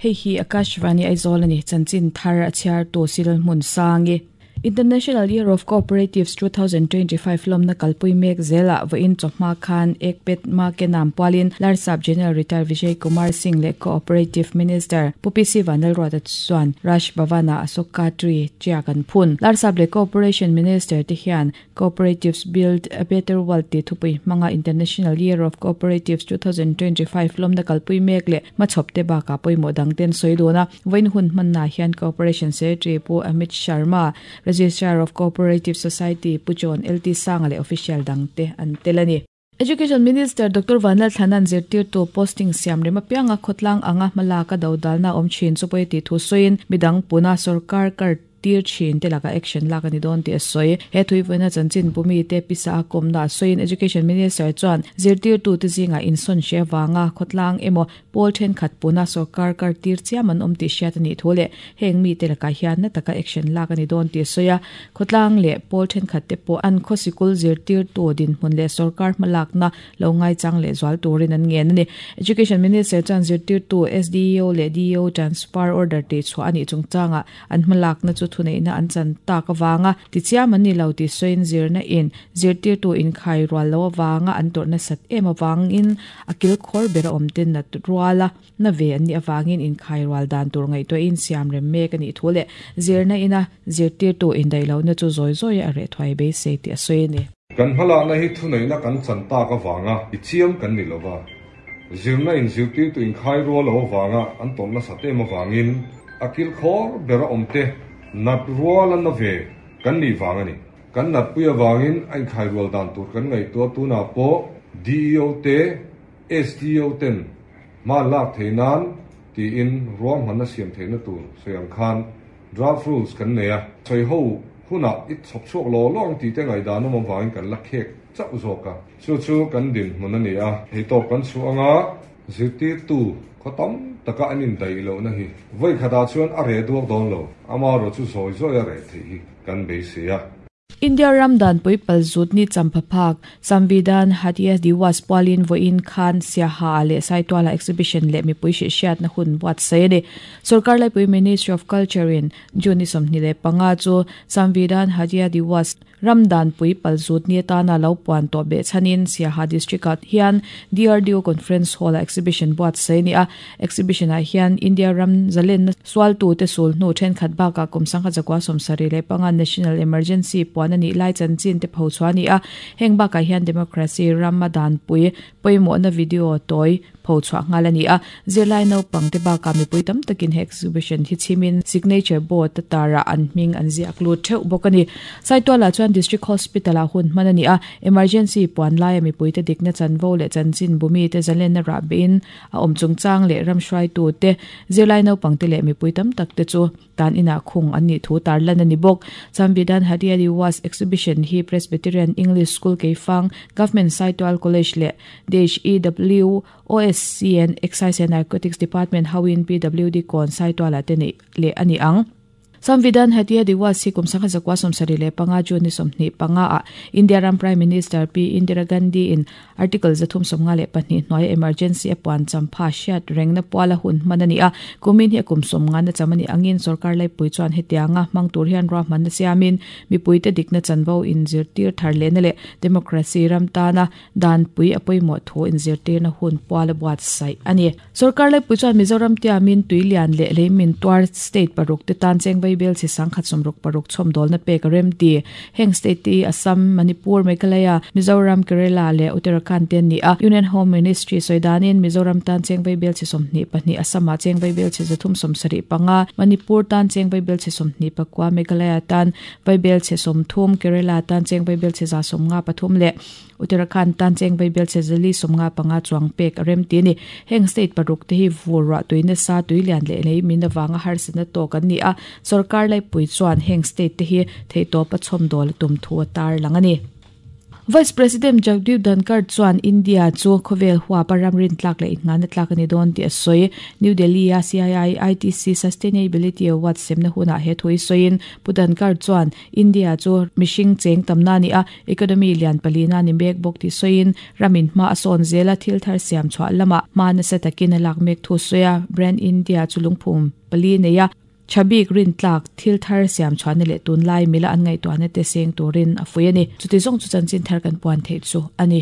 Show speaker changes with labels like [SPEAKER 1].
[SPEAKER 1] Hei hi Akashvani Aizawl a ni, chanchin thar a chhiartu Silhmun Sangi. International Year of Cooperatives 2025 lawmna kalpui mek zelah vawiin chawhma khan Ekpet Makenam pualin Larsap General Retired Vijay Kumar Singh leh Cooperative Minister Pu PC Vanlalruata chuan Raj Bhavan-ah Ashoka Tree tiak an phun. Larsap leh Cooperation Minister te hian Cooperatives Build a Better World tih thupui hmanga International Year of Cooperatives 2025 lawmna kalpui mek leh hmachhawp te bakah pawimawh dang ten sawi dun a. Vawiin hun hmannaah hian Cooperation Secretary Pu Amit Sharma, Registrar of Cooperative Society Pu John LT Sanga leh official dang te an tel a ni. Education Minister Doctor Vanlalthlana'n zirtirtu posting siam rem apianga khawtlang anga hmalak a dodalna awm thin chu pawi tih thu sawiin midang puna sorkar kar tir thin te lakah action lak a ni dawn tih a sawi. He thuivawiina chanchin bumi te pisa a kawmna a sawiin Education Minister chuan zirtirtute zingah insawn hre avanga khawtlang emaw pawl thenkhat puna sorkar kar tir chiam an awm tih hriat a nih thu leh heng mite lakah hian na taka action lak a ni dawn tih a sawi a. Khawtlang leh pawl thenkhat te pawh an khaw sikul zirtirtu dinhmun leh sorkar hmalakna lo ngaichang leh zual turin an ngen a ni. Education Minister chuan zirtirtu SDEO leh DEO transfer order tihchhuah a nih chungchangah An hmalakna chu thuneihna an chan tak avanga tichiam an ni lo tih sawiin zirna in zirtirtu inkhai rual lo avanga an tawrh nasat em avangin a kilkhawr ber a awm te nat ruala na ve an nih avangin inkhai rual dan tur ngaihtuahin siam rem mek a nih thu leh zirna ina zirtirtu indaih lohna chu zawi zawi a reh thuai beisei tih a sawi a ni.
[SPEAKER 2] Kan hmalakna hi thuneihna kan chan tak avanga tichiam kan ni lova. Zirna in zirtirtu inkhai rual lo avanga an tawrh nasat em avangin a kilkhawr bera awmte nat rual a na ve kan nih vang a ni. Kan natpui avangin a inkhai rual dan tur kan ngaihtuah tunah pawh DEO te, SDO ten hma an lak theih nan tiin ruahmanna siam theihna tur sawi ang khan draft rules kan nei a. Sawi ho hunah i chhawp chhuak law law ang tih te ngaihdan awm avangin kan la khek chauh zawk a. Chu chu kan dinhmun a ni a, theitawp kan chhuah anga zirtirtu khaw tam taka an indaih lohna hi vawi khatah chuan a reh duak dawn lo, amaherawh chu zawi zawi a reh theih hi kan beisei a.
[SPEAKER 1] India ram danpui palzutni champha phak, Samvidhan Hatiya Diwas pualin vawiin khan Siaha ah leh Saituala exhibition leh mipui hrihhriatna hun buatsaih a ni. Sorkar laipui Ministry of Culture in June ni 25 chu Samvidhan Hatiya Diwas Ram danpui palzut ni atana lo puan tawh beh chhanin Siaha District-ah hian DRDO Conference Hall-ah exhibition buatsaih a ni a. Exhibition-ah hian India ram zalenna sualtute sul hnu thenkhat bakah kum sangha zakua 75 National Emergency puan a nih lai chanchin te phochhuah a ni a. Heng bakah hian Democracy rama danpui pawimawhna video tawi pho chhuah nghal a ni a, zirlai naupang te bakah mipui tam takin he exhibition hi chhimin signature board a tarah an hming an ziak lut theuh bawk a ni. Saitualah chuan District Hospital ah hun hman a ni a, emergency puan laia mipuite dikna chanvo leh chanchin bumi te zalenna rah behin a awm chungchang leh ram hruaitu te, zirlai naupang te leh mipui tam tak te chu tan inah khung an nih thu tarlan a ni bawk. Samvidhan Hariali Was Exhibition hi Presbyterian English School Keifang, Government Saitual College leh DHEW, OSCN, Excise and Narcotics Department hoin PWD kawn Saitualah te neih leh a ni ang. Samvidhan Hatia Diwas hi kum 1975 June ni 25 ah India ram Prime Minister Pi Indira Gandhi in Article 352 hnuaia emergency a puan champha hriat rengna puala hun hman a ni a. Kumin hi a kum 50 na cham a nih angin sorkar laipui chuan hetianga hmang tur hian ruahmanna siamin mipuite dikna chanvo inzirtir thar lehna leh democracy ram tana Danpui a pawimawh thu inzirtirna hun pual a buatsaih a ni. Sorkar laipui chuan Mizoram tiamin Tuilian leh Leimin tuar state paruk te tan Chengvei bel chi sangkhat sawmruk paruk chhawmdawlna pek a rem ti. Heng state te hi Assam, Manipur, Meghalaya, Mizoram, Kerala leh Uttarakhand te an ni a. Union Home Ministry sawi danin Mizoram tan Chengvei bel chi 22, Assam ah Chengvei bel chi 375, Manipur tan Chengvei bel chi 24, Meghalaya tan Vaibel chhe 30, Kerala tan Chengvei bel chhe 153 leh Uttarakhand tan cheng vaibel chhe zali 55 chuang pek a rem ti a ni. Heng state paruk te hi vur ruah tui nasa, tui lian leh lei min avanga harsatna tawk an ni a, sorkar laipui chuan heng state te hi theihtawpa chhawmdawl a tum thu a tarlang a ni. Vice President Jagdeep Dhankhar chuan India chu khawvel huapa ram rin tlak leh inngahna tlak a ni dawn tih a sawi. New Delhi-a CII ITC Sustainability Awards semna hunah he thu hi sawiin Pu Dhankhar chuan India chu mihring cheng tamna a ni a, economy lian palina a ni mek bawk tih sawiin ramin hma a sawn zel a, thil thar siam chhuah lamah hma nasa takin a lak mek thu sawi a, Brand India chu lungphum pali nei a, tha bik rin tlak thil thar siam chhuahna leh tunlai mila an ngaihtuahna te seng turin a fuih a ni. Chuti zawng chu chanchin thar kan puan theih chu a ni.